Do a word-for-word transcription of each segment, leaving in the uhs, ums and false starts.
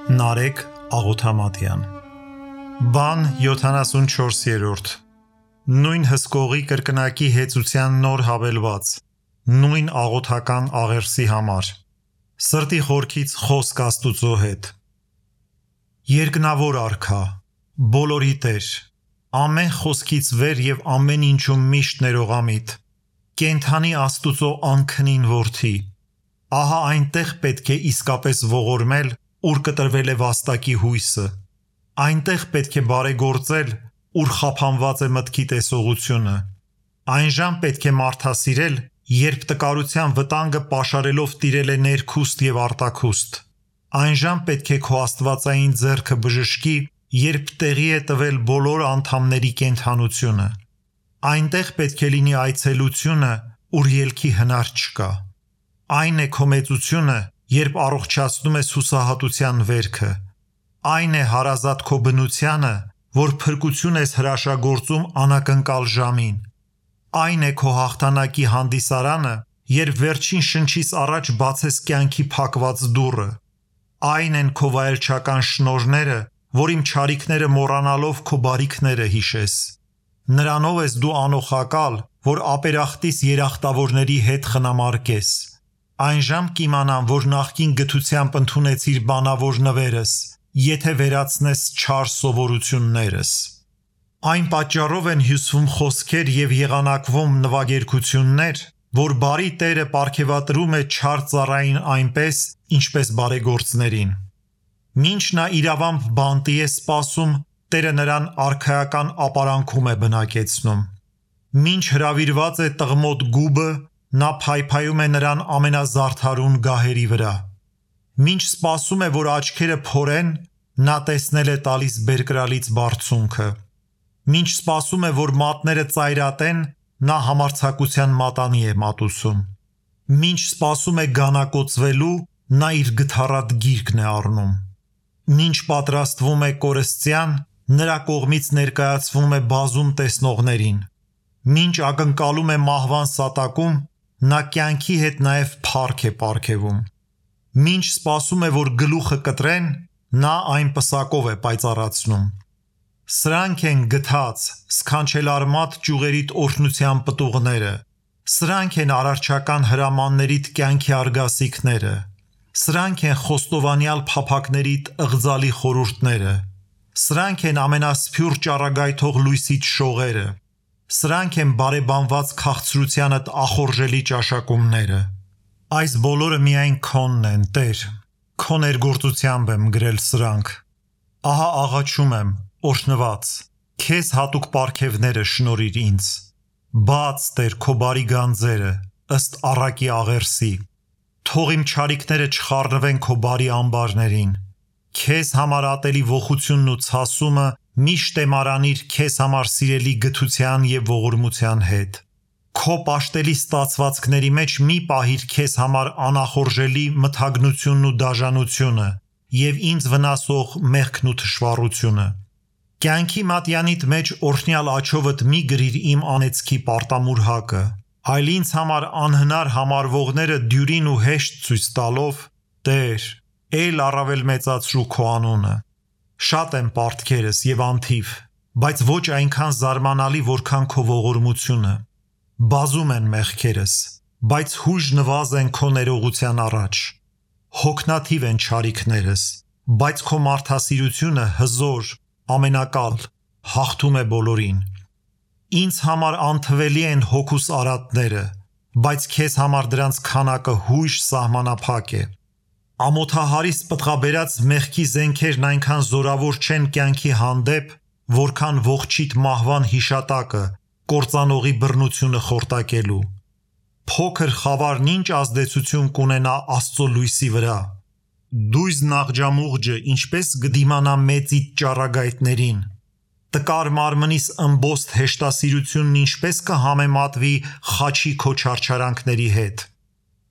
Նարեկ Աղոթամատյան Բան յոթանասունչորսերորդ Նույն հսկողի կրկնակի հեծության նոր հավելված Նույն աղոթական աղերսի համար Սրտի խորքից խոսք Աստուծո հետ Երկնավոր արքա Բոլորի Տեր Ամեն խոսքից վեր և ամեն ինչում միշտ ներողամիտ Կենդանի Աստուծո անքնին որդի Ահա այնտեղ պետք է իսկապես ողորմել Ուր կտրվել է վաստակի հույսը Այնտեղ պետք է բարեգործել Ուր խափանված է մտքի տեսողությունը Այն ժամ պետք է մարդասիրել Երբ տկարության վտանգը պաշարելով տիրել է ներքուստ և արտաքուստ Այն ժամ պետք է քո աստվածային ձեռքը բժշկի Երբ տեղի է տվել բոլոր անդամների կենդանությունը Այնտեղ պետք է լինի այցելությունը Ուր ելքի հնար չկա Այն է քո մեծությունը Երբ առողջացնում ես հուսահատության վերքը Այն է հարազատ քո բնությանը Որ փրկություն ես հրաշագործում անակնկալ ժամին Այն է քո հաղթանակի հանդիսարանը Երբ վերջին շնչից առաջ բացես կյանքի փակված դուռը Այն են քո վայելչական շնորհները Որ իմ չարիքները մոռանալով քո բարիքները հիշես Նրանով ես դու անոխակալ Որ ապերախտիս երախտավորների հետ խնամարկես Այն ժամ կիմանամ, որ նախկին գթությամբ ընդունեցիր բանավոր նվերս, եթե վերացնես չար սովորություններս։ Այն պատճառով են հյուսվում խոսքեր և եղանակվում նվագերգություններ, որ բարի Տերը պարգևատրում է չար ծառային այնպես, ինչպես բարեգործներին։ Մինչ նա իրավամբ բանտի է սպասում, Տերը նրան արքայական ապարանքում է բնակեցնում։ Մինչ հրավիրված է տղմոտ գուբը, Նա փայփայում է նրան ամենազարդարուն գահերի վրա Մինչ սպասում է, որ աչքերը փորեն Նա տեսնել է տալիս բերկրալից բարձունքը Մինչ սպասում է, որ մատները ծայրատեն Նա համարձակության մատանի է մատուցում Մինչ սպասում է գանակոծվելու Նա իր գթառատ գիրկն է առնում Մինչ պատրաստվում է կորստյան Նրա կողմից ներկայացվում է բազում տեսնողներին Մինչ ակնկալում է մահվան սատակում Նա կյանքի հետ նաև փառք է պարգևում Մինչ սպասում է, որ գլուխը կտրեն Նա այն պսակով է պայծառացնում Սրանք են գթած, սքանչելարմատ ճյուղերիդ օրհնության պտուղները Սրանք են արարչական հրամաններիդ կյանքի արգասիքները Սրանք են խոստովանյալ փափակներիդ ըղձալի խորհուրդները Սրանք են ամենասփյուռ ճառագայթող լույսիդ շողերը Սրանք են բարեբանված քաղցրությանդ ախորժելի ճաշակումները Այս բոլորը միայն քոնն են, Տեր Քո ներգործությամբ եմ գրել սրանք Ահա աղաչում եմ, օրհնված Քեզ հատուկ պարգևները շնորհիր ինձ Բաց, Տեր, քո բարի գանձերը Ըստ առակի աղերսի Թող իմ չարիքները չխառնվեն քո բարի ամբարներին Քեզ համար ատելի ողությունն ու ցասումը Միշտ եմ արանիր քեզ համար սիրելի գթության և ողորմության հետ Քո պաշտելի ստացվածքների մեջ մի պահիր քեզ համար անախորժելի մթագնությունն ու դաժանությունը և ինձ վնասող մեղքն ու թշվառությունը Կյանքի մատյանիդ մեջ օրհնյալ աջովդ մի գրիր իմ անեծքի պարտամուրհակը Այլ ինձ համար անհնար համարվողները դյուրին ու հեշտ ցույց տալով Տեր, էլ առավել մեծացրու քո անունը Շատ են պարտքերս և անթիվ, բայց ոչ այնքան զարմանալի, որքան քո ողորմությունը Բազում են մեղքերս, բայց հույժ նվազ են քո ներողության առաջ Հոգնաթիվ են չարիքներս, բայց քո մարդասիրությունը հզոր, ամենակալ, հաղթում է բոլորին Ինձ համար անթվելի են հոգուս արատները, բայց քեզ համար դրանց քանակը հույժ սահմանափակ է Ամոթահարից պտղաբերած մեղքի զենքերն այնքան զորավոր չեն կյանքի հանդեպ, որքան ողջիդ մահվան հիշատակը, կործանողի բռնությունը խորտակելու Փոքր խավարն ինչ ազդեցություն կունենա Աստծո լույսի վրա Դույզ նաղջամուղջը ինչպես կդիմանա մեծիդ ճառագայթներին Տկար մարմնիս ըմբոստ հեշտասիրությունն ինչպես կհամեմատվի խաչի քո չարչարանքների հետ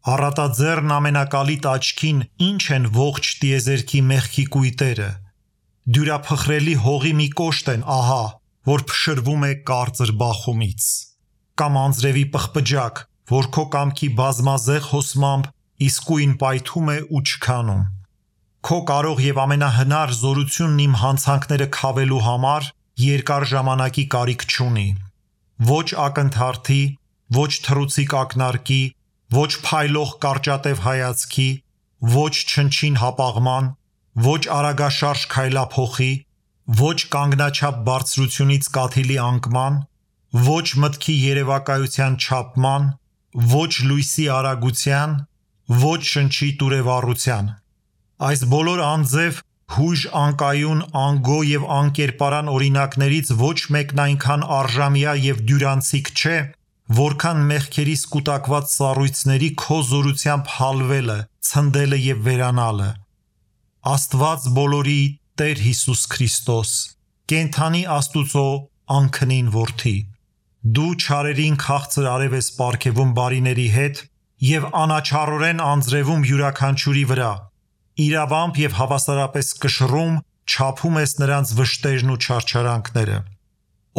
Առատաձեռն ամենակալիտ աչքին ինչ են ողջ տիեզերքի մեղքի կույտերը Դյուրափխրելի հողի մի կոշտ են ահա, որ փշրվում է կարծր բախումից Կամ անձրևի պղպջակ, որ քո կամքի բազմազեղ հոսմամբ իսկույն պայթում է ու չքանում Քո կարող եւ ամենահնար զորությունն իմ հանցանքները քավելու համար երկար ժամանակի կարիք չունի։ Ոչ ակնթարթի, ոչ թռուցիկ ակնարկի, ոչ փայլող կարճատև հայացքի, ոչ չնչին հապաղման, ոչ արագաշարժ քայլափոխի, ոչ կանգնաչափ բարձրությունից կաթիլի անկման, ոչ մտքի երևակայության չափման, ոչ լույսի արագության, ոչ շնչի տուրևառության։ Այս բոլոր անձև, հույժ անկայուն, անգո եւ անկերպարան օրինակներից ոչ մեկն այնքան արժամյա եւ դյուրանցիկ չէ, որքան մեղքերիս կուտակված սառույցների քո զորությամբ հալվելը, ցնդելը եւ վերանալը։ Աստված բոլորի Տեր Հիսուս Քրիստոս, կենթանի Աստուծո անքնին որդի, դու չարերին քաղցր արև ես պարգևում բարիների հետ եւ անաչառորեն անձրևում յուրաքանչյուրի վրա, իրավամբ եւ հավասարապես կշռում չափում ես նրանց վշտերն ու չարչարանքները,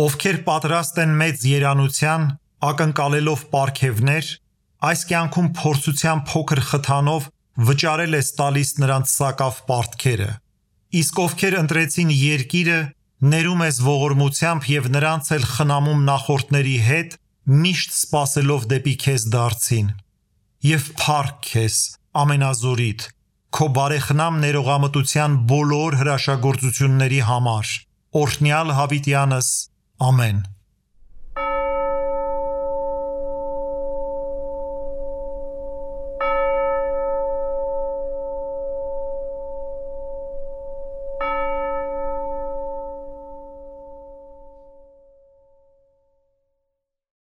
ովքեր պատրաստ են մեծ երանության, ակնկալելով պարգևներ, այս կյանքում փորձության փոքր խթանով վճարել ես տալիս նրանց սակավ պարտքերը, իսկ ովքեր ընտրեցին երկիրը, ներում ես ողորմությամբ եւ նրանց էլ խնամում նախորդների հետ, միշտ սпасելով դեպի քեզ դարձին։ Եվ փառք քեզ, ամենազորիդ, քո բարեխնամ ներողամտության բոլոր հրաշագործությունների համար, օրհնյալ հավիտյանս, ամեն։